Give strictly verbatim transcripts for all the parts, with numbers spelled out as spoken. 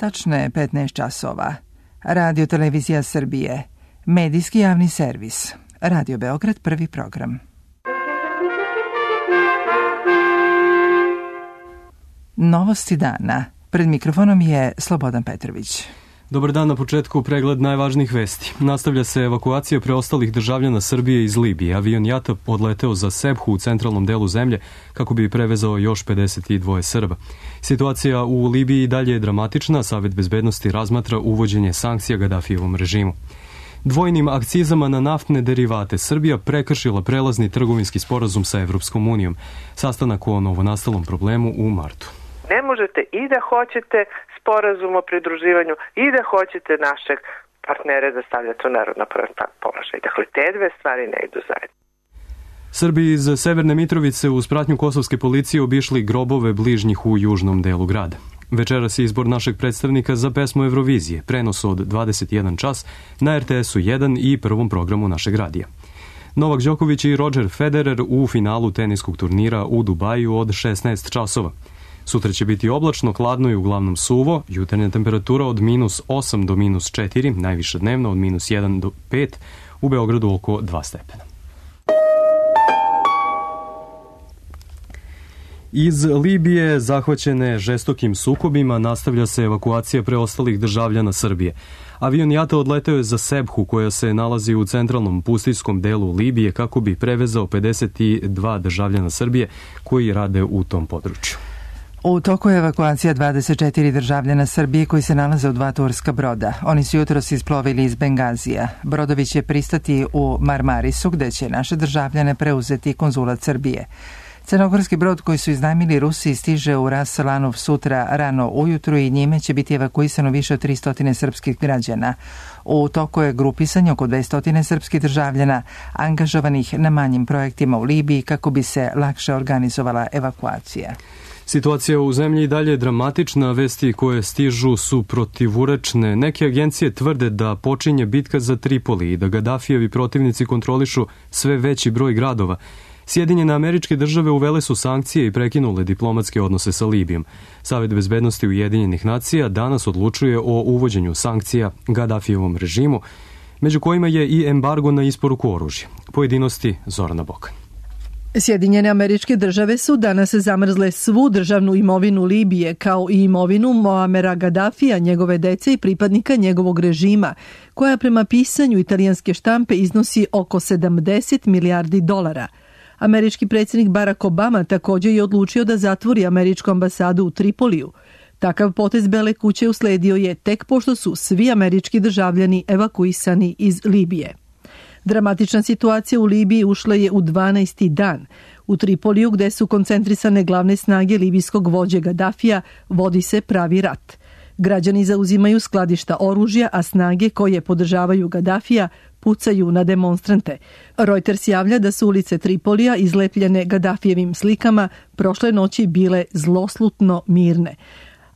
Tačno je petnaest časova. Radio Televizija Srbije. Medijski javni servis. Radio Beograd, prvi program. Novosti dana. Pred mikrofonom je Slobodan Petrović. Dobar dan, na početku pregled najvažnijih vesti. Nastavlja se evakuacija preostalih državljana Srbije iz Libije. Avion JAT-a odleteo za Sebhu u centralnom delu zemlje kako bi prevezao još pedeset dva Srba. Situacija u Libiji dalje je dramatična. Savet bezbednosti razmatra uvođenje sankcija Gadafijevom režimu. Dvojnim akcizama na naftne derivate Srbija prekršila prelazni trgovinski sporazum sa Evropskom unijom. Sastanak o novonastalom problemu u martu. Ne možete i da hoćete sporazum o pridruživanju i da hoćete našeg partnera da stavljate u neravnopravan položaj. Dakle, te dve stvari ne idu zajedno. Srbi iz Severne Mitrovice uz pratnju kosovske policije obišli grobove bližnjih u južnom delu grada. Večeras je izbor našeg predstavnika za pesmu Eurovizije, prenos od dvadeset jedan čas na R T S-u jedan i prvom programu našeg radija. Novak Đoković i Roger Federer u finalu teniskog turnira u Dubaju od šesnaest časova. Sutra će biti oblačno, hladno i uglavnom suvo, jutarnja temperatura od minus osam do minus četiri, najviša dnevna od minus jedan do pet, u Beogradu oko dva stepena. Iz Libije, zahvaćene žestokim sukobima, nastavlja se evakuacija preostalih državljana Srbije. Avion JAT-a odleteo je za Sebhu, koja se nalazi u centralnom pustinjskom delu Libije, kako bi prevezao pedeset dva državljana Srbije koji rade u tom području. U toku je evakuacija dvadeset četiri državljana Srbije koji se nalaze u dva turska broda. Oni su jutros isplovili iz Bengazija. Brodovi će pristati u Marmarisu, gde će naše državljane preuzeti konzulat Srbije. Crnogorski brod koji su iznajmili Rusi stiže u Ras Lanuf sutra rano ujutru i njime će biti evakuisano više od tristo srpskih građana. U toku je grupisanje oko dvesta srpskih državljana angažovanih na manjim projektima u Libiji kako bi se lakše organizovala evakuacija. Situacija u zemlji i dalje je dramatična, vesti koje stižu su protivurečne. Neke agencije tvrde da počinje bitka za Tripoli i da Gadafijevi protivnici kontrolišu sve veći broj gradova. Sjedinjene Američke države uvele su sankcije i prekinule diplomatske odnose sa Libijom. Savet bezbednosti Ujedinjenih nacija danas odlučuje o uvođenju sankcija Gadafijevom režimu, među kojima je i embargo na isporuku oružja. Pojedinosti Zorana Bokan. Sjedinjene Američke države su danas zamrzle svu državnu imovinu Libije, kao i imovinu Moamera Gadafija, njegove dece i pripadnika njegovog režima, koja prema pisanju italijanske štampe iznosi oko sedamdeset milijardi dolara. Američki predsjednik Barack Obama također je odlučio da zatvori američku ambasadu u Tripoliju. Takav potez Bele kuće usledio je tek pošto su svi američki državljani evakuisani iz Libije. Dramatična situacija u Libiji ušla je u dvanaesti dan. U Tripoliju, gde su koncentrisane glavne snage libijskog vođe Gadafija, vodi se pravi rat. Građani zauzimaju skladišta oružja, a snage koje podržavaju Gadafija pucaju na demonstrante. Reuters javlja da su ulice Tripolija izlepljene Gadafijevim slikama prošle noći bile zloslutno mirne.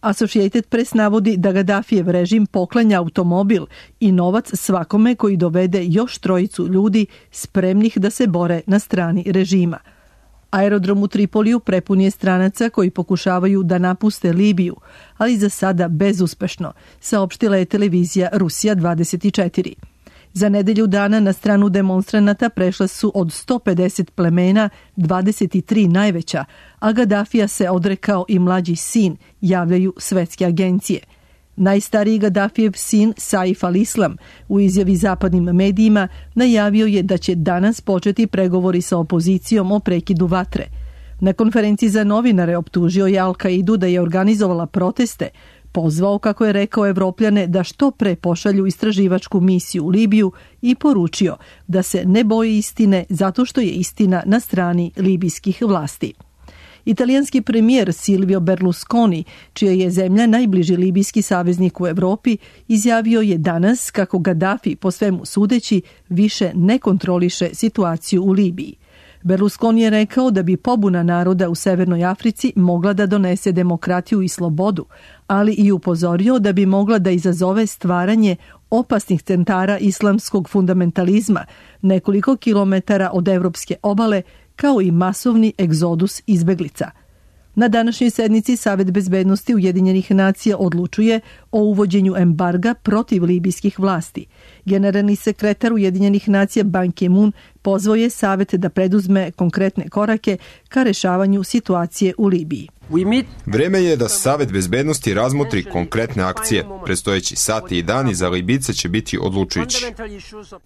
Associated Press navodi da Gadafijev režim poklanja automobil i novac svakome koji dovede još trojicu ljudi spremnih da se bore na strani režima. Aerodrom u Tripoliju prepun je stranaca koji pokušavaju da napuste Libiju, ali za sada bezuspešno, saopštila je televizija Rusija dvadeset četiri. Za nedelju dana na stranu demonstranata prešla su od sto pedeset plemena dvadeset tri najveća, a Gadafija se odrekao i mlađi sin, javljaju svetske agencije. Najstariji Gadafijev sin, Saif al-Islam, u izjavi zapadnim medijima najavio je da će danas početi pregovori sa opozicijom o prekidu vatre. Na konferenciji za novinare optužio je Al-Kaidu da je organizovala proteste, pozvao, kako je rekao, Evropljane da što pre pošalju istraživačku misiju u Libiju i poručio da se ne boji istine zato što je istina na strani libijskih vlasti. Italijanski premijer Silvio Berlusconi, čija je zemlja najbliži libijski saveznik u Evropi, izjavio je danas kako Gadafi, po svemu sudeći, više ne kontroliše situaciju u Libiji. Berlusconi je rekao da bi pobuna naroda u Severnoj Africi mogla da donese demokratiju i slobodu, ali i upozorio da bi mogla da izazove stvaranje opasnih centara islamskog fundamentalizma nekoliko kilometara od evropske obale, kao i masovni egzodus izbeglica. Na današnjoj sednici Savet bezbednosti Ujedinjenih nacija odlučuje o uvođenju embarga protiv libijskih vlasti. Generalni sekretar Ujedinjenih nacija Ban Ki-moon pozvao je Savet da preduzme konkretne korake ka rešavanju situacije u Libiji. Vreme je da Savet bezbednosti razmotri konkretne akcije. Predstojeći sati i dani za Libijce će biti odlučujući.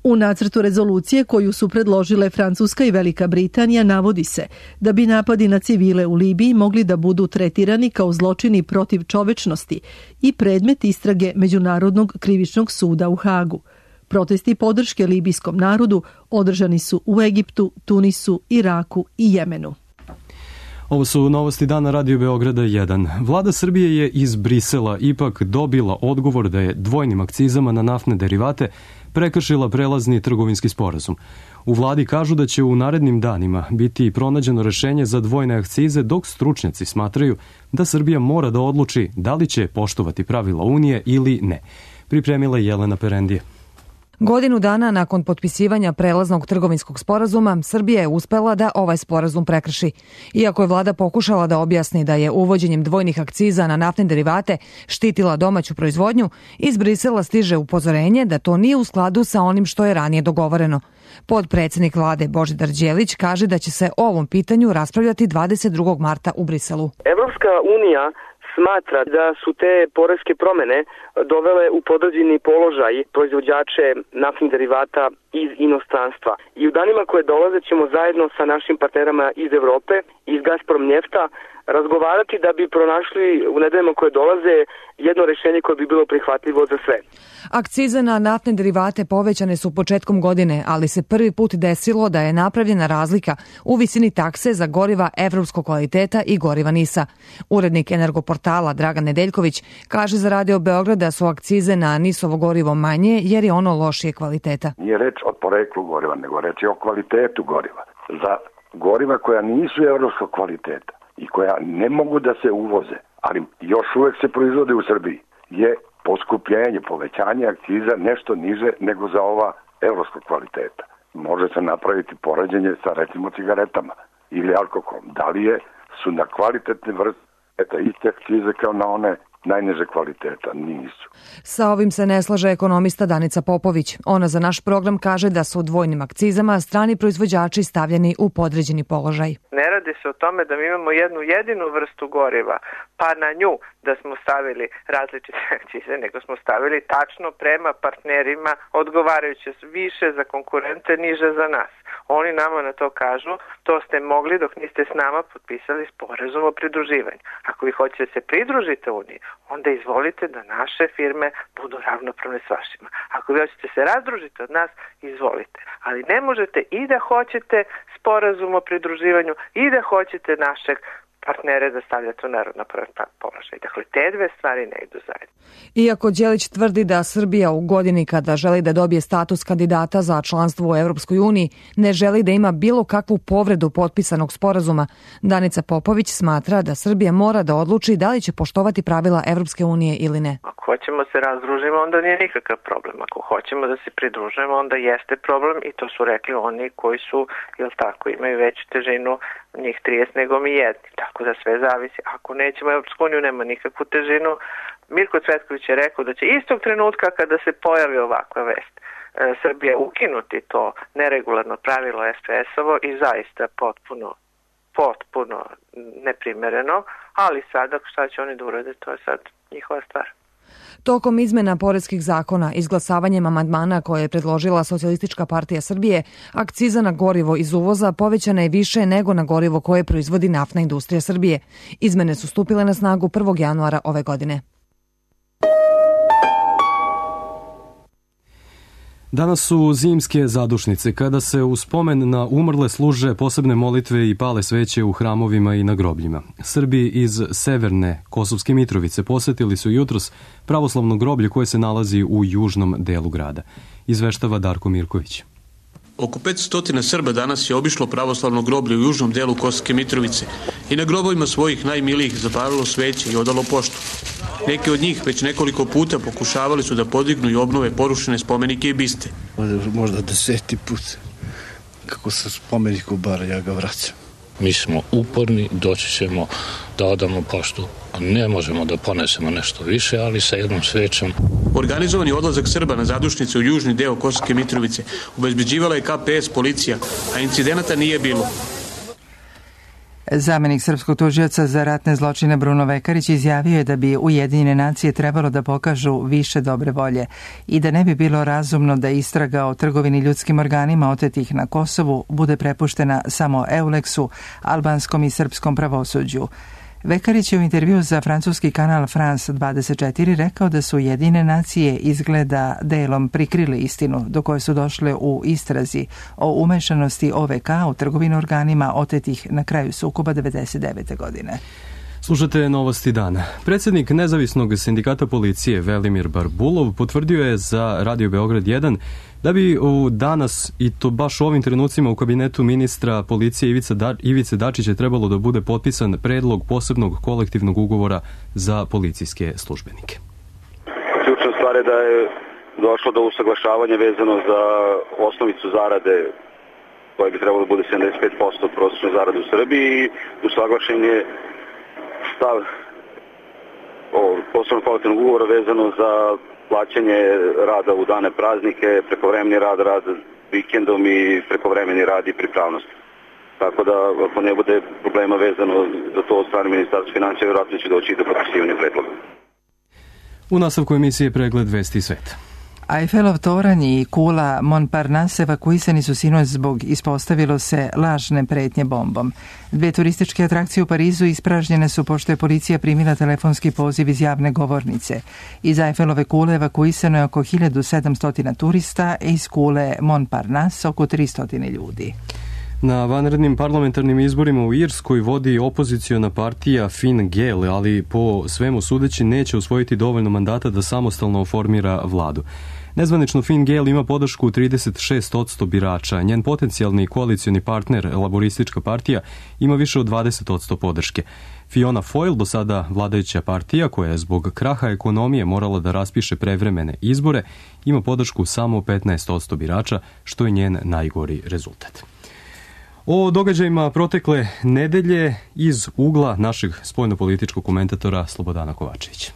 U nacrtu rezolucije koju su predložile Francuska i Velika Britanija navodi se da bi napadi na civile u Libiji mogli da budu tretirani kao zločini protiv čovečnosti i predmet istrage Međunarodnog krivičnog suda u Hagu. Protesti podrške libijskom narodu održani su u Egiptu, Tunisu, Iraku i Jemenu. Ovo su novosti dana Radio Beograda jedan. Vlada Srbije je iz Brisela ipak dobila odgovor da je dvojnim akcizama na naftne derivate prekršila prelazni trgovinski sporazum. U vladi kažu da će u narednim danima biti pronađeno rešenje za dvojne akcize, dok stručnjaci smatraju da Srbija mora da odluči da li će poštovati pravila Unije ili ne. Pripremila je Jelena Perendije. Godinu dana nakon potpisivanja prelaznog trgovinskog sporazuma, Srbija je uspela da ovaj sporazum prekrši. Iako je vlada pokušala da objasni da je uvođenjem dvojnih akciza na naftne derivate štitila domaću proizvodnju, iz Brisela stiže upozorenje da to nije u skladu sa onim što je ranije dogovoreno. Podpredsednik vlade Božidar Đelić kaže da će se o ovom pitanju raspravljati dvadeset drugog marta u Briselu. Evropska unija smatra da su te poreske promene dovele u podređeni položaj proizvođače naftnih derivata iz inostranstva. I u danima koje dolaze ćemo zajedno sa našim partnerama iz Evrope, iz Gazprom Njefta, razgovarati da bi pronašli u nedeljama koje dolaze jedno rešenje koje bi bilo prihvatljivo za sve. Akcize na naftne derivate povećane su početkom godine, ali se prvi put desilo da je napravljena razlika u visini takse za goriva evropskog kvaliteta i goriva NIS-a. Urednik Energoportala Dragan Nedeljković kaže za Radio Beograd da su akcize na NIS-ovo gorivo manje jer je ono lošije kvaliteta. Nije reč o poreklu goriva, nego reč je o kvalitetu goriva. Za goriva koja nisu evropskog kvaliteta i koja ne mogu da se uvoze, ali još uvek se proizvode u Srbiji, je poskupljenje, povećanje akciza nešto niže nego za ova evropskog kvaliteta. Može se napraviti poređenje sa recimo cigaretama ili alkoholom. Da li je, su na kvalitetne vrste iste akcize kao na one najniže kvaliteta? Nisu. Sa ovim se ne slaže ekonomista Danica Popović. Ona za naš program kaže da su dvojnim akcizama strani proizvođači stavljeni u podređeni položaj. Ne radi se o tome da mi imamo jednu jedinu vrstu goriva, pa na nju da smo stavili različite akcize, nego smo stavili tačno prema partnerima odgovarajuće više za konkurente, niže za nas. Oni nama na to kažu, to ste mogli dok niste s nama potpisali sporazum o pridruživanju. Ako vi hoćete da se pridružite Uniji, onda izvolite da naše firme budu ravnopravne s vašima. Ako vi hoćete se razdružiti od nas, izvolite. Ali ne možete i da hoćete sporazum o pridruživanju i da hoćete našeg partnere da stavljate u neravnopravan položaj. Dakle, te dve stvari ne idu zajedno. Iako Đelić tvrdi da Srbija u godini kada želi da dobije status kandidata za članstvo u Evropskoj uniji ne želi da ima bilo kakvu povredu potpisanog sporazuma, Danica Popović smatra da Srbija mora da odluči da li će poštovati pravila Evropske unije ili ne. Ako hoćemo se razdružimo, onda nije nikakav problem. Ako hoćemo da se pridružujemo, onda jeste problem i to su rekli oni koji su, jel tako, imaju veću težinu njih trideset nego mi jedni. Tako da sve zavisi. Ako nećemo Evropsku uniju, nema nikakvu težinu. Mirko Cvetković je rekao da će istog trenutka kada se pojavi ovakva vest Srbija ukinuti to neregularno pravilo es pe es-ovo i zaista potpuno, potpuno neprimereno, ali sada šta će oni da urade, to je sad njihova stvar. Tokom izmena poreskih zakona, izglasavanjem amandmana koje je predložila Socijalistička partija Srbije, akciza na gorivo iz uvoza povećana je više nego na gorivo koje proizvodi naftna industrija Srbije. Izmene su stupile na snagu prvog januara ove godine. Danas su zimske zadušnice, kada se u spomen na umrle služe posebne molitve i pale sveće u hramovima i na grobljima. Srbi iz severne Kosovske Mitrovice posetili su jutros pravoslavno groblje koje se nalazi u južnom delu grada. Izveštava Darko Mirković. Oko petsto Srba danas je obišlo pravoslavno groblje u južnom delu Kosovske Mitrovice i na grobovima svojih najmilijih zapalilo sveće i odalo poštu. Neki od njih već nekoliko puta pokušavali su da podignu i obnove porušene spomenike i biste. Možda deseti put kako se spomenik ubara, ja ga vraćam. Mi smo uporni, doći ćemo da odamo poštu. Ne možemo da ponesemo nešto više, ali sa jednom svećom. Organizovani odlazak Srba na zadušnice u južni deo Kosovske Mitrovice obezbeđivala je K P S policija, a incidenata nije bilo. Zamenik srpskog tužioca za ratne zločine Bruno Vekarić izjavio je da bi Ujedinjene nacije trebalo da pokažu više dobre volje i da ne bi bilo razumno da istraga o trgovini ljudskim organima otetih na Kosovu bude prepuštena samo Euleksu, albanskom i srpskom pravosuđu. Vekarić je u intervju za francuski kanal France dvadeset četiri rekao da su Ujedinjene nacije izgleda delom prikrili istinu do koje su došle u istrazi o umešanosti O V K u trgovinu organima otetih na kraju sukoba devedeset devete godine. Slušate Novosti dana. Predsjednik Nezavisnog sindikata policije Velimir Barbulov potvrdio je za Radio Beograd jedan da bi u danas, i to baš u ovim trenucima, u kabinetu ministra policije Ivice, da, Ivice Dačića trebalo da bude potpisan predlog posebnog kolektivnog ugovora za policijske službenike. Ključna stvar je da je došlo do usaglašavanja vezano za osnovicu zarade koja bi trebalo da bude sedamdeset pet posto od prosječne zarade u Srbiji i usaglašen je stav o posebnog kolektivnog ugovora vezano za plaćanje rada u dane praznike, prekovremeni rad, rad vikendom i prekovremeni rad i pripravnost. Tako da, ako ne bude problema vezano za to od strane Ministarstva financija, vjerojatno će doći do potpisivanja predloga. U nastavku emisije Pregled vesti sveta. Eiffelov toranj i kula Montparnasse evakuisani su sinoć zbog, ispostavilo se, lažne pretnje bombom. Dve turističke atrakcije u Parizu ispražnjene su pošto je policija primila telefonski poziv iz javne govornice. Iz Eiffelove kule evakuisano je oko hiljadu sedamsto turista, a iz kule Montparnasse oko tristo ljudi. Na vanrednim parlamentarnim izborima u Irskoj vodi opoziciona partija Fine Gael, ali po svemu sudeći neće osvojiti dovoljno mandata da samostalno formira vladu. Nezvanično Fine Gael ima podršku trideset šest posto birača. Njen potencijalni koalicioni partner, Laboristička partija, ima više od dvadeset posto podrške. Fiona Foyle, do sada vladajuća partija, koja je zbog kraha ekonomije morala da raspiše prevremene izbore, ima podršku samo petnaest posto birača, što je njen najgori rezultat. O događajima protekle nedelje iz ugla našeg spoljnopolitičkog komentatora Slobodana Kovačevića.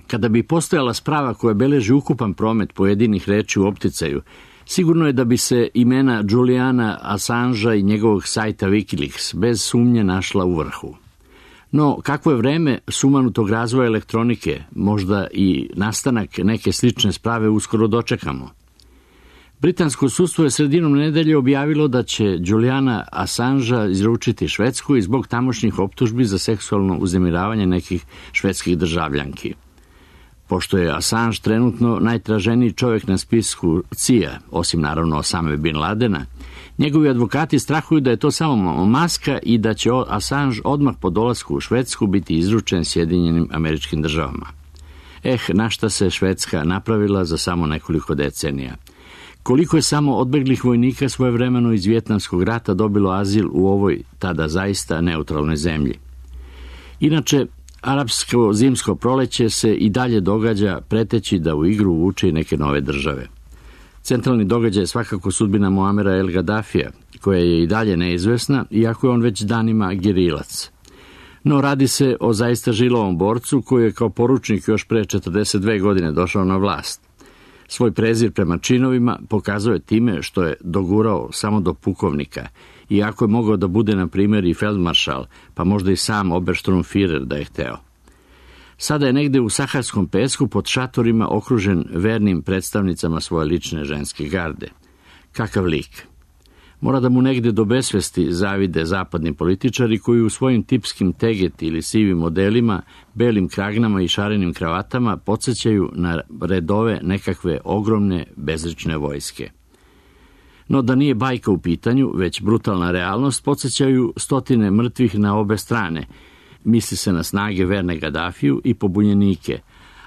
Kada bi postojala sprava koja beleži ukupan promet pojedinih reči u opticaju, sigurno je da bi se imena Juliana Assangea i njegovog sajta Wikileaks bez sumnje našla u vrhu. No, kakvo je vreme sumanutog razvoja elektronike, možda i nastanak neke slične sprave uskoro dočekamo. Britansko sudstvo je sredinom nedelje objavilo da će Juliana Assangea izručiti Švedsku i zbog tamošnjih optužbi za seksualno uznemiravanje nekih švedskih državljanki. Pošto je Assange trenutno najtraženiji čovjek na spisku C I A, osim naravno Osame Bin Ladena, njegovi advokati strahuju da je to samo maska i da će Assange odmah po dolasku u Švedsku biti izručen Sjedinjenim Američkim Državama. Eh, na šta se Švedska napravila za samo nekoliko decenija. Koliko je samo odbeglih vojnika svojevremeno iz Vijetnamskog rata dobilo azil u ovoj tada zaista neutralnoj zemlji. Inače, arapsko zimsko proleće se i dalje događa, preteći da u igru uvuče i neke nove države. Centralni događaj je svakako sudbina Muamera El Gaddafija, koja je i dalje neizvesna, iako je on već danima gerilac. No radi se o zaista žilavom borcu koji je kao poručnik još pre četrdeset dve godine došao na vlast. Svoj prezir prema činovima pokazuje time što je dogurao samo do pukovnika, iako je mogao da bude, na primjer, i feldmaršal, pa možda i sam Obersturmführer da je hteo. Sada je negde u saharskom pesku pod šatorima okružen vernim predstavnicama svoje lične ženske garde. Kakav lik! Mora da mu negde do besvesti zavide zapadni političari koji u svojim tipskim teget ili sivim modelima, belim kragnama i šarenim kravatama podsjećaju na redove nekakve ogromne bezlične vojske. No da nije bajka u pitanju, već brutalna realnost, podsjećaju stotine mrtvih na obe strane. Misli se na snage verne Gaddafiju i pobunjenike,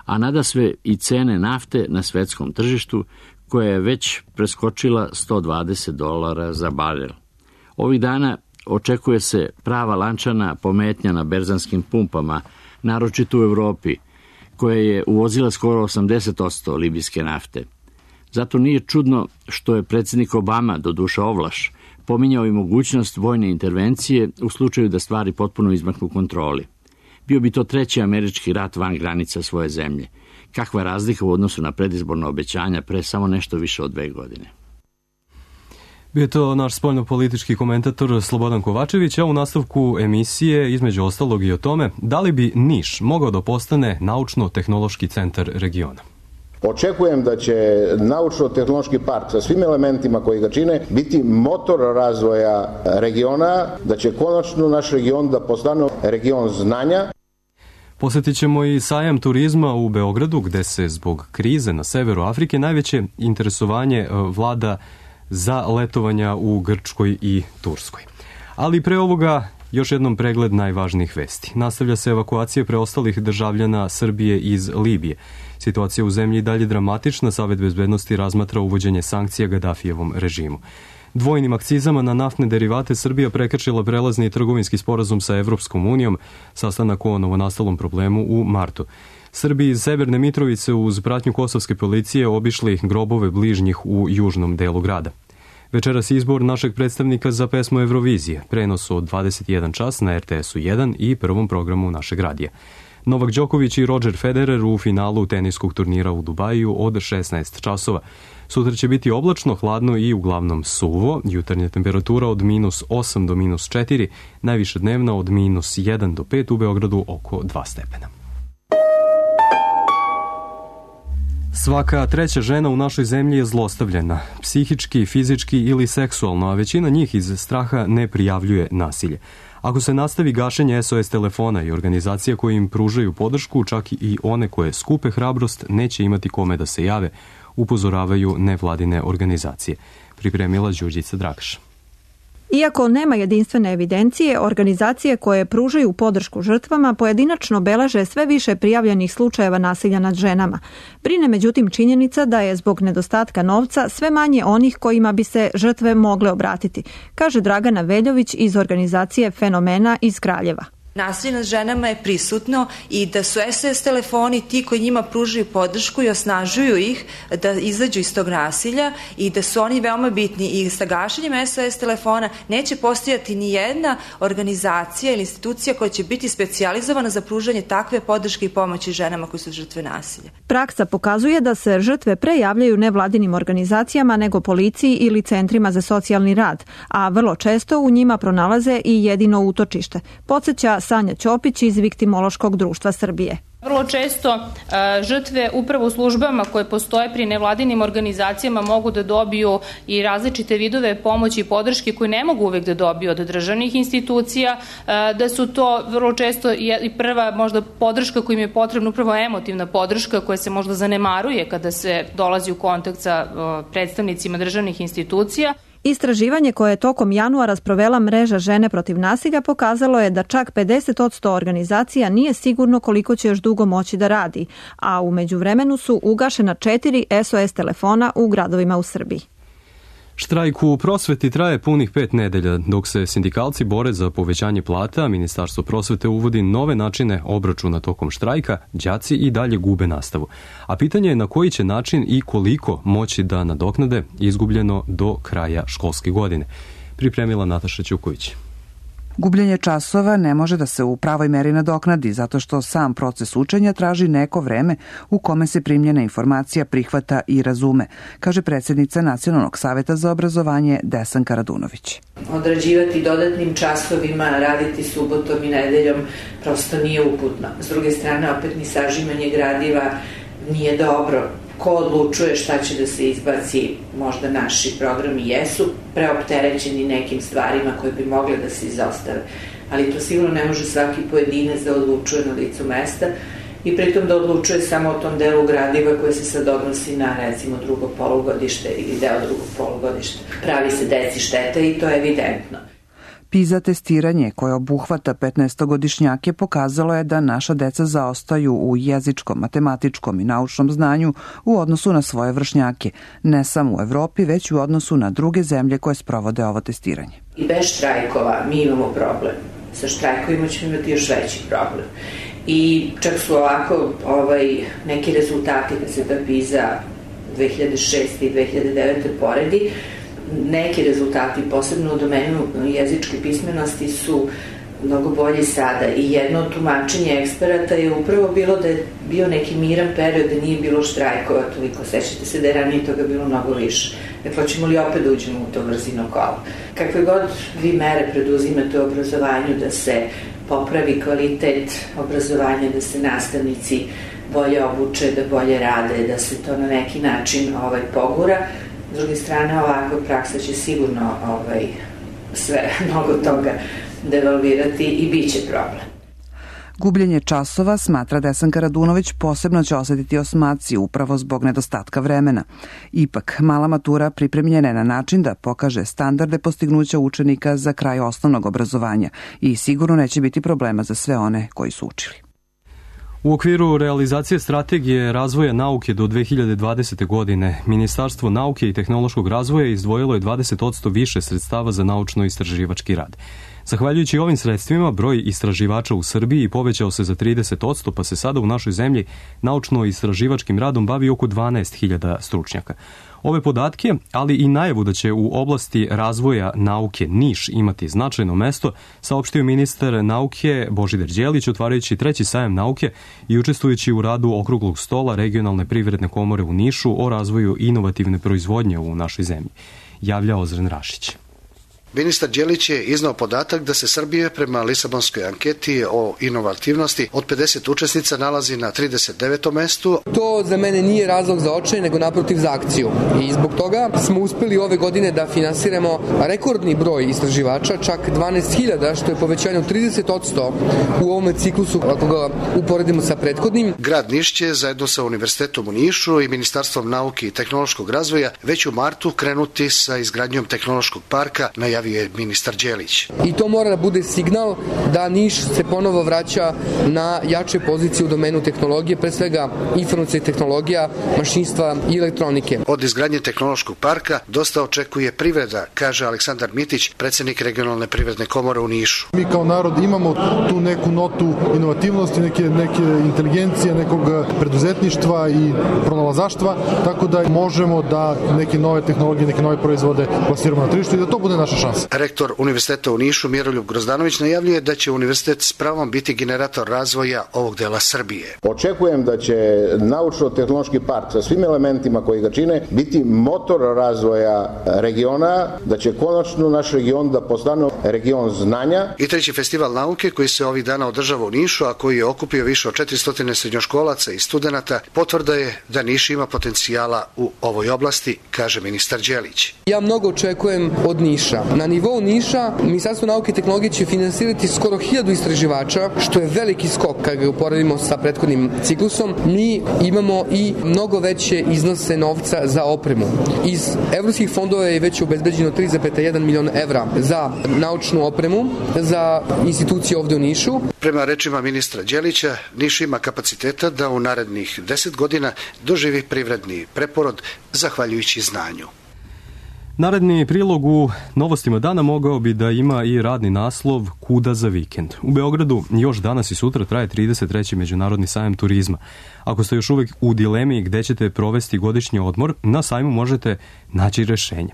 a nadasve i cene nafte na svetskom tržištu, koja je već preskočila sto dvadeset dolara za barel. Ovih dana očekuje se prava lančana pometnja na berzanskim pumpama, naročito u Evropi, koja je uvozila skoro osamdeset posto libijske nafte. Zato nije čudno što je predsjednik Obama, doduše ovlaš, Pominjao i mogućnost vojne intervencije u slučaju da stvari potpuno izmaknu kontroli. Bio bi to treći američki rat van granica svoje zemlje. Kakva razlika u odnosu na predizborna obećanja pre samo nešto više od dve godine. Bio je to naš spoljnopolitički komentator Slobodan Kovačević, a u nastavku emisije između ostalog i o tome da li bi Niš mogao da postane naučno-tehnološki centar regiona. Očekujem da će naučno-tehnološki park sa svim elementima koji ga čine biti motor razvoja regiona, da će konačno naš region da postane region znanja. Posjetit ćemo i sajam turizma u Beogradu, gde se zbog krize na severu Afrike najveće interesovanje vlada za letovanja u Grčkoj i Turskoj. Ali pre ovoga još jednom pregled najvažnijih vesti. Nastavlja se evakuacija preostalih državljana Srbije iz Libije. Situacija u zemlji dalje dramatična, Savet bezbednosti razmatra uvođenje sankcija Gadafijevom režimu. Dvojnim akcizama na naftne derivate Srbija prekršila prelazni trgovinski sporazum sa Evropskom unijom, sastanak o novonastalom problemu u martu. Srbi iz Severne Mitrovice uz pratnju kosovske policije obišli grobove bližnjih u južnom delu grada. Večeras izbor našeg predstavnika za pesmu Evrovizije, prenos od dvadeset jedan čas na er te esu jedan i prvom programu našeg radija. Novak Đoković i Roger Federer u finalu teniskog turnira u Dubaju od šesnaest časova. Sutra će biti oblačno, hladno i uglavnom suvo, jutarnja temperatura od minus osam do minus četiri, najviša dnevna od minus jedan do pet, u Beogradu oko dva stepena. Svaka treća žena u našoj zemlji je zlostavljena, psihički, fizički ili seksualno, a većina njih iz straha ne prijavljuje nasilje. Ako se nastavi gašenje es o es telefona i organizacija koje im pružaju podršku, čak i one koje skupe hrabrost, neće imati kome da se jave, upozoravaju nevladine organizacije. Pripremila Đurđica Dragaš. Iako nema jedinstvene evidencije, organizacije koje pružaju podršku žrtvama pojedinačno beleže sve više prijavljenih slučajeva nasilja nad ženama. Brine međutim činjenica da je zbog nedostatka novca sve manje onih kojima bi se žrtve mogle obratiti, kaže Dragana Veljović iz organizacije Fenomena iz Kraljeva. Nasilje nad ženama je prisutno i da su es o es telefoni ti koji njima pružaju podršku i osnažuju ih da izađu iz tog nasilja i da su oni veoma bitni. I sa gašenjem es o es telefona neće postojati ni jedna organizacija ili institucija koja će biti specijalizovana za pružanje takve podrške i pomoći ženama koji su žrtve nasilja. Praksa pokazuje da se žrtve pre javljaju nevladinim organizacijama nego policiji ili centrima za socijalni rad, a vrlo često u njima pronalaze i jedino utočište. Podsjeća Sanja Ćopić iz Viktimološkog društva Srbije. Vrlo često uh, žrtve upravo u službama koje postoje pri nevladinim organizacijama mogu da dobiju i različite vidove pomoći i podrške koje ne mogu uvek da dobiju od državnih institucija, uh, da su to vrlo često i prva možda podrška koja im je potrebna, upravo emotivna podrška koja se možda zanemaruje kada se dolazi u kontakt sa uh, predstavnicima državnih institucija. Istraživanje koje je tokom januara sprovela mreža Žene protiv nasilja pokazalo je da čak pedeset posto organizacija nije sigurno koliko će još dugo moći da radi, a u međuvremenu su ugašena četiri es o es telefona u gradovima u Srbiji. Štrajk u prosveti traje punih pet nedelja, dok se sindikalci bore za povećanje plata, Ministarstvo prosvete uvodi nove načine obračuna tokom štrajka, đaci i dalje gube nastavu. A pitanje je na koji će način i koliko moći da nadoknade izgubljeno do kraja školske godine. Pripremila Nataša Ćuković. Gubljenje časova ne može da se u pravoj meri nadoknadi zato što sam proces učenja traži neko vreme u kome se primljena informacija prihvata i razume, kaže predsjednica Nacionalnog saveta za obrazovanje Desanka Radunović. Odrađivati dodatnim časovima, raditi subotom i nedeljom prosto nije uputno. S druge strane, opet ni sažimanje gradiva nije dobro. Ko odlučuje šta će da se izbaci, možda naši programi jesu preopterećeni nekim stvarima koje bi mogle da se izostave, ali to sigurno ne može svaki pojedinac da odlučuje na licu mesta i pritom da odlučuje samo o tom delu gradiva koje se sad odnosi na recimo drugo polugodište ili deo drugog polugodišta. Pravi se deci šteta i to je evidentno. PISA testiranje koje obuhvata petnaestogodišnjake pokazalo je da naša deca zaostaju u jezičkom, matematičkom i naučnom znanju u odnosu na svoje vršnjake, ne samo u Evropi, već u odnosu na druge zemlje koje sprovode ovo testiranje. I bez štrajkova mi imamo problem. Sa štrajkovima ćemo imati još veći problem. I čak su ovako ovaj, neki rezultati kad se ta PISA dve hiljade šeste i dve hiljade devete poredi, neki rezultati, posebno u domenu jezičke pismenosti, su mnogo bolji sada i jedno tumačenje eksperata je upravo bilo da je bio neki miran period, da nije bilo štrajkova toliko, sećate se da je ranije toga bilo mnogo više. Dakle, hoćemo li opet da uđemo u to brzino kolo? Kakve god vi mere preduzimate u obrazovanju da se popravi kvalitet obrazovanja, da se nastavnici bolje obuče, da bolje rade, da se to na neki način ovaj, pogura. S druge strane, ovakva praksa će sigurno ovaj, sve, mnogo toga devalvirati i bit će problem. Gubljenje časova, smatra Desanka Radunović, posebno će osetiti osmaci upravo zbog nedostatka vremena. Ipak, mala matura pripremljena je na način da pokaže standarde postignuća učenika za kraj osnovnog obrazovanja i sigurno neće biti problema za sve one koji su učili. U okviru realizacije strategije razvoja nauke do dve hiljade dvadesete. godine, Ministarstvo nauke i tehnološkog razvoja izdvojilo je dvadeset posto više sredstava za naučno-istraživački rad. Zahvaljujući ovim sredstvima, broj istraživača u Srbiji povećao se za trideset posto, pa se sada u našoj zemlji naučno-istraživačkim radom bavi oko dvanaest hiljada stručnjaka. Ove podatke, ali i najavu da će u oblasti razvoja nauke Niš imati značajno mesto, saopštio ministar nauke Božidar Đelić, otvarajući treći sajam nauke i učestvujući u radu okruglog stola Regionalne privredne komore u Nišu o razvoju inovativne proizvodnje u našoj zemlji. Javlja Ozren Rašić. Ministar Đelić je iznao podatak da se Srbija prema Lisabonskoj anketi o inovativnosti od pedeset učesnica nalazi na trideset devetom mestu. To za mene nije razlog za očaj, nego naprotiv za akciju. I zbog toga smo uspeli ove godine da finansiramo rekordni broj istraživača, čak dvanaest hiljada, što je povećanje od trideset posto u ovom ciklusu, ako ga uporedimo sa prethodnim. Grad Niš će zajedno sa Univerzitetom u Nišu i Ministarstvom nauke i tehnološkog razvoja već u martu krenuti sa izgradnjom tehnološkog parka, najavio je ministar Đelić. I to mora da bude signal da Niš se ponovo vraća na jače pozicije u domenu tehnologije, pre svega informacijskih tehnologija, mašinstva i elektronike. Od izgradnje tehnološkog parka dosta očekuje privreda, kaže Aleksandar Mitić, predsjednik Regionalne privredne komore u Nišu. Mi kao narod imamo tu neku notu inovativnosti, neke, neke inteligencije, nekog preduzetništva i pronalazaštva, tako da možemo da neke nove tehnologije, neke nove proizvode plasiramo na tržištu i da to bude naša šansa. Rektor Univerziteta u Nišu Miroljub Grozdanović najavljuje da će univerzitet s pravom biti generator razvoja ovog dela Srbije. Očekujem da će naučno-tehnološki park sa svim elementima koji ga čine biti motor razvoja regiona, da će konačno naš region da postane region znanja. I treći festival nauke koji se ovih dana održava u Nišu, a koji je okupio više od četiristo srednjoškolaca i studenata, potvrda je da Niš ima potencijala u ovoj oblasti, kaže ministar Đelić. Ja mnogo očekujem od Niša. Na nivou Niša, Ministarstvo nauke i tehnologije će finansirati skoro hiljadu istraživača, što je veliki skok kad ga uporedimo sa prethodnim ciklusom. Mi imamo i mnogo veće iznose novca za opremu. Iz evropskih fondova je već obezbeđeno tri zarez jedan milion evra za naučnu opremu, za institucije ovde u Nišu. Prema rečima ministra Đelića, Niš ima kapaciteta da u narednih deset godina doživi privredni preporod zahvaljujući znanju. Naredni prilog u Novostima dana mogao bi da ima i radni naslov Kuda za vikend. U Beogradu još danas i sutra traje trideset treći Međunarodni sajam turizma. Ako ste još uvek u dilemi gde ćete provesti godišnji odmor, na sajmu možete naći rešenje.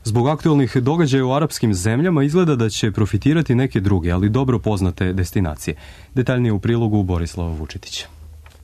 Zbog aktualnih događaja u arapskim zemljama izgleda da će profitirati neke druge, ali dobro poznate destinacije. Detaljnije u prilogu Borislava Vučetića.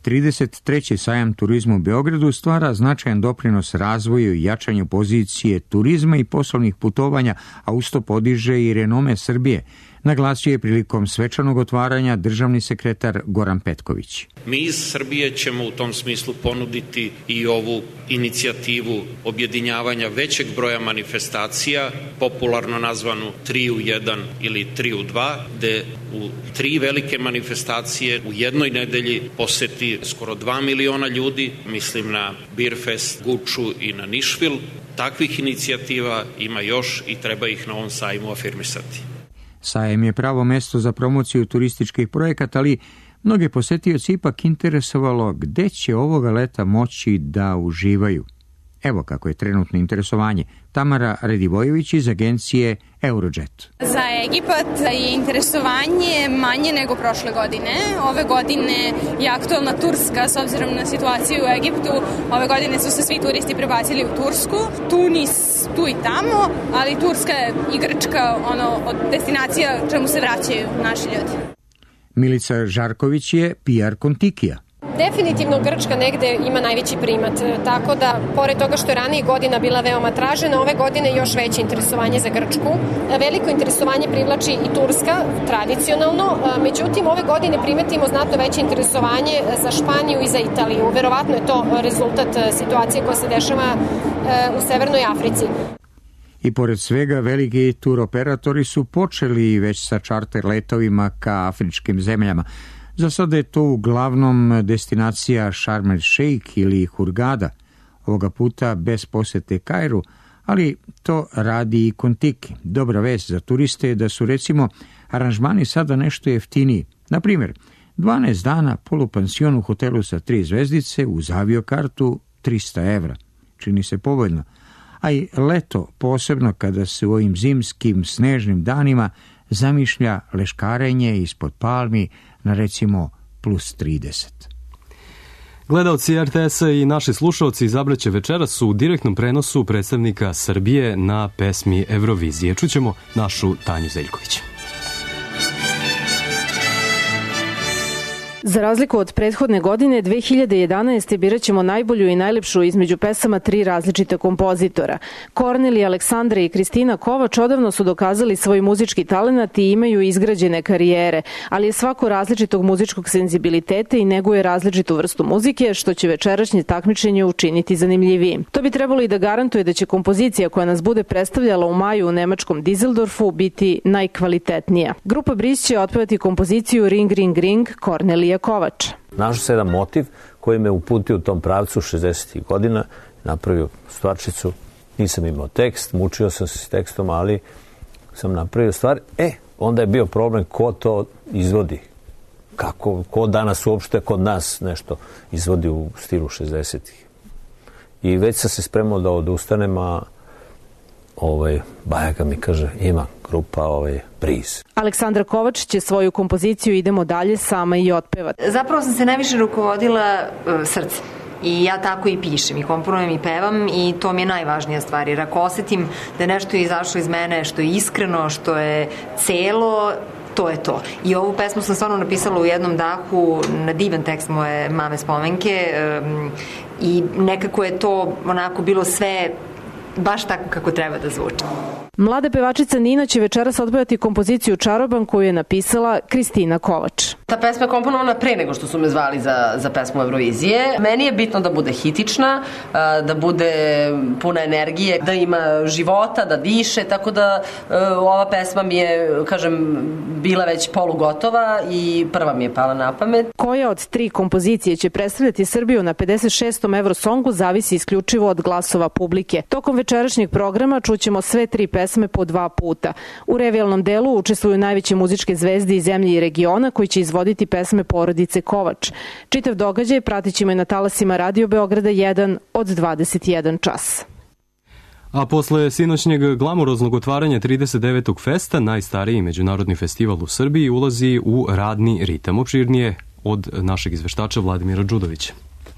trideset treći sajam turizma u Beogradu stvara značajan doprinos razvoju i jačanju pozicije turizma i poslovnih putovanja, a usto podiže i renome Srbije, naglasio je prilikom svečanog otvaranja državni sekretar Goran Petković. Mi iz Srbije ćemo u tom smislu ponuditi i ovu inicijativu objedinjavanja većeg broja manifestacija, popularno nazvanu tri u jedan ili tri u dva, gde u tri velike manifestacije u jednoj nedelji poseti skoro dva miliona ljudi, mislim na Beerfest, Guču i na Nišvil. Takvih inicijativa ima još i treba ih na ovom sajmu afirmisati. Sajem je pravo mesto za promociju turističkih projekata, ali mnoge posetioci ipak interesovalo gde će ovoga leta moći da uživaju. Evo kako je trenutno interesovanje. Tamara Redivojević iz agencije Eurojet. Za Egipat je interesovanje manje nego prošle godine. Ove godine je aktualna Turska, s obzirom na situaciju u Egiptu. Ove godine su se svi turisti prebacili u Tursku. Tunis tu i tamo, ali Turska i Grčka ono, od destinacija čemu se vraćaju naši ljudi. Milica Žarković je P R Kontikija. Definitivno Grčka negde ima najveći primat, tako da, pored toga što je ranije godina bila veoma tražena, ove godine još veće interesovanje za Grčku. Veliko interesovanje privlači i Turska, tradicionalno, međutim, ove godine primetimo znatno veće interesovanje za Španiju i za Italiju. Verovatno je to rezultat situacije koja se dešava u Severnoj Africi. I pored svega, veliki turoperatori su počeli već sa čarter letovima ka afričkim zemljama. Za sada je to uglavnom destinacija Sharm el Sheikh ili Hurgada, ovoga puta bez posete Kairu, ali to radi i Kontiki. Dobra vest za turiste je da su recimo aranžmani sada nešto jeftiniji. Na primjer, dvanaest dana polupansion u hotelu sa tri zvezdice uz aviokartu trista evra. Čini se povoljno. A i leto, posebno kada se u ovim zimskim snežnim danima zamišlja leškarenje ispod palmi na recimo plus trideset. Gledaoci R T S-a i naši slušalci izabraće večeras u direktnom prenosu predstavnika Srbije na pesmi Eurovizije. Čućemo našu Tanju Zeljković. Za razliku od prethodne godine, dve hiljade jedanaeste. birat ćemo najbolju i najlepšu između pesama tri različita kompozitora. Kornelija, Aleksandra i Kristina Kovač odavno su dokazali svoj muzički talenat i imaju izgrađene karijere, ali je svako različitog muzičkog senzibiliteta i neguje različitu vrstu muzike, što će večerašnje takmičenje učiniti zanimljivijim. To bi trebalo i da garantuje da će kompozicija koja nas bude predstavljala u maju u nemačkom Dizeldorfu biti najkvalitetnija. Grupa Bris će otpevati kompoziciju Ring, Ring, Ring Kornelija Kovač. Našao se jedan motiv koji me uputio u tom pravcu šezdesetih godina, napravio stvarčicu, nisam imao tekst, mučio sam se s tekstom, ali sam napravio stvar. E, onda je bio problem ko to izvodi, kako, ko danas uopšte kod nas nešto izvodi u stilu šezdesetih. I već sam se spremao da odustanem, a ovaj, Bajaka mi kaže, ima grupa ovaj, Briz. Aleksandra Kovač će svoju kompoziciju Idemo dalje sama i otpevati. Zapravo sam se najviše rukovodila uh, srcem. I ja tako i pišem, i komponujem i pevam i to mi je najvažnija stvar. Jer ako osetim da nešto je izašlo iz mene što je iskreno, što je celo, to je to. I ovu pesmu sam stvarno napisala u jednom dahu na divan tekst moje mame spomenke um, i nekako je to onako bilo sve baš tako kako treba da zvuči. Mlada pevačica Nina će večeras otpevati kompoziciju Čaroban koju je napisala Kristina Kovač. Ta pesma je komponovana pre nego što su me zvali za, za pesmu Eurovizije. Meni je bitno da bude hitična, da bude puna energije, da ima života, da diše, tako da ova pesma mi je, kažem, bila već polugotova i prva mi je pala na pamet. Koja od tri kompozicije će predstavljati Srbiju na pedeset šestom Eurosongu zavisi isključivo od glasova publike. Tokom večerašnjeg programa čućemo sve tri pesme po dva puta. U revijalnom delu učestvuju najveće muzičke zvezde iz zemlje i regiona koji će izvoditi pesme porodice Kovač. Čitav događaj pratit ćemo i na talasima Radio Beograda jedan od dvadeset jedan čas. A posle sinoćnjeg glamuroznog otvaranja trideset devetog festa, najstariji međunarodni festival u Srbiji ulazi u radni ritam. Opširnije od našeg izveštača Vladimira Đudovića.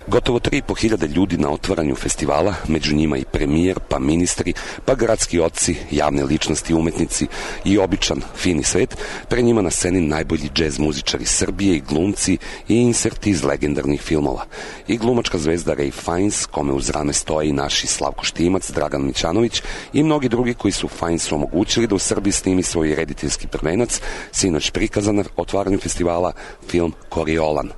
Gotovo tri i po hiljade ljudi na otvaranju festivala, među njima i premijer, pa ministri, pa gradski oci, javne ličnosti, umetnici i običan, fini svet, pre njima na sceni najbolji džez muzičari Srbije i glumci i inserti iz legendarnih filmova. I glumačka zvezda Ray Fiennes, kome uz rame stoje i naši Slavko Štimac, Dragan Mićanović i mnogi drugi koji su Fiennesu omogućili da u Srbiji snimi svoj rediteljski prvenac, sinoć prikazan na otvaranju festivala, film Koriolan.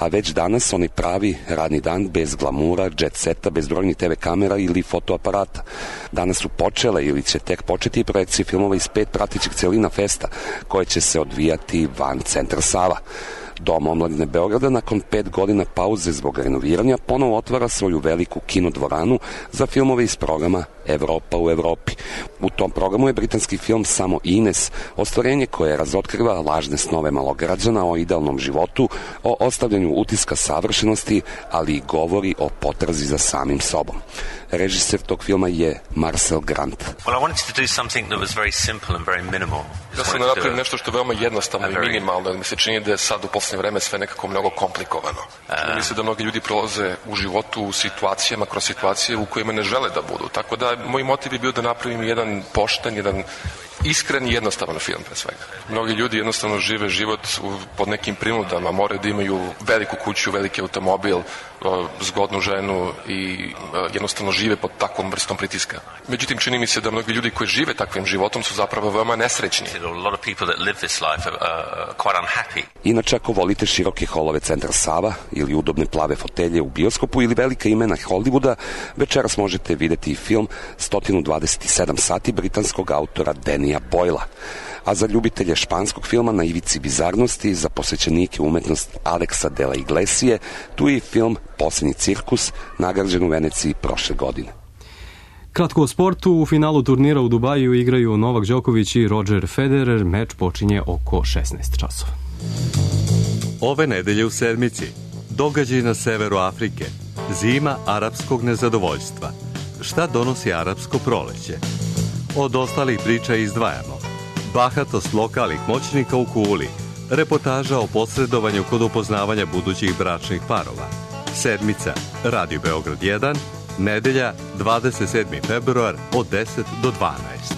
A već danas onaj pravi radni dan bez glamura, jet seta, bez brojnih te ve kamera ili fotoaparata. Danas su počele ili će tek početi i projekcije filmova iz pet pratećih celina festa koje će se odvijati van centra Sava. Dom omladine Beograda nakon pet godina pauze zbog renoviranja ponovo otvara svoju veliku kinodvoranu za filmove iz programa Evropa u Evropi. U tom programu je britanski film Samo Ines, ostvarenje koje razotkriva lažne snove malograđana o idealnom životu, o ostavljanju utiska savršenosti, ali i govori o potrazi za samim sobom. Režiser tog filma je Marcel Grant. Well, I wanted to do something that was very simple and very minimal. Ja sam napravio nešto što je veoma jednostavno i minimalno, jer mi se čini da je sad u posljednje vreme sve nekako mnogo komplikovano. Uh, Mislim da mnogi ljudi prolaze u životu u situacijama, kroz situacije u kojima ne žele da budu. Tako da moj motiv je bio da napravim jedan pošten, jedan iskren i jednostavan film pre svega. Mnogi ljudi jednostavno žive život u, pod nekim prinudama, moraju da imaju veliku kuću, veliki automobil, zgodnu ženu i jednostavno žive pod takvom vrstom pritiska. Međutim, čini mi se da mnogi ljudi koji žive takvim životom su zapravo veoma nesrećni. Inače, ako volite široke holove Centra Sava ili udobne plave fotelje u bioskopu ili velika imena Hollywooda, večeras možete videti film sto dvadeset sedam sati britanskog autora Dannya Boylea. A za ljubitelje španskog filma na ivici bizarnosti, za posvećenike umetnost Alexa de la Iglesie, tu je film Posljednji cirkus, nagrađen u Veneciji prošle godine. Kratko o sportu, u finalu turnira u Dubaju igraju Novak Đoković i Roger Federer, meč počinje oko šesnaest časova. Ove nedelje u sedmici, događaj na severu Afrike, zima arapskog nezadovoljstva. Šta donosi arapsko proleće? Od ostalih priča izdvajamo bahatost lokalnih moćnika u Kuli, reportaža o posredovanju kod upoznavanja budućih bračnih parova. Sedmica, Radio Beograd jedan, nedelja dvadeset sedmi februar od deset do dvanaest.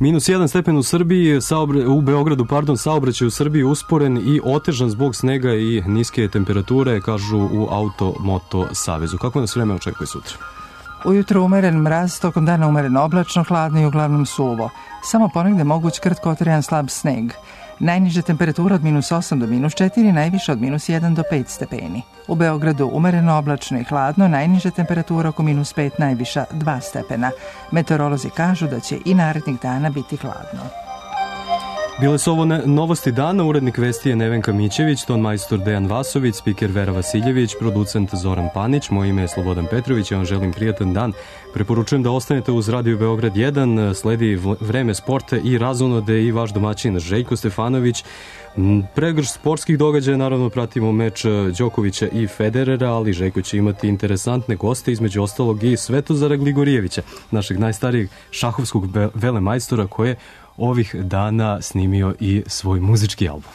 Minus jedan stepen u Srbiji, saobre, u Beogradu, pardon, saobraćaj u Srbiji usporen i otežan zbog snega i niske temperature, kažu u Auto-Moto Savezu. Kako nas vreme očekuje sutra? Ujutro umeren mraz, tokom dana umeren oblačno, hladno i uglavnom suvo. Samo ponegde moguć kratkotrajan slab sneg. Najniža temperatura od minus osam do minus četiri, najviša od minus jedan do pet stepeni. U Beogradu umereno oblačno i hladno, najniža temperatura oko minus pet, najviša dva stepena. Meteorolozi kažu da će i narednih dana biti hladno. Bile su ovo ne, novosti dana, urednik vesti je Nevenka Mićević, ton majstor Dejan Vasović, spiker Vera Vasiljević, producent Zoran Panić, moje ime je Slobodan Petrović, ja vam želim prijatan dan. Preporučujem da ostanete uz Radio Beograd jedan, sledi vreme sporta i razonode i vaš domaćin Željko Stefanović. Pregrš sportskih događaja, naravno pratimo meč Đokovića i Federera, ali Željko će imati interesantne goste, između ostalog i Svetozara Gligorijevića, našeg najstarijeg šahovskog velemajstora, koje ovih dana snimio i svoj muzički album.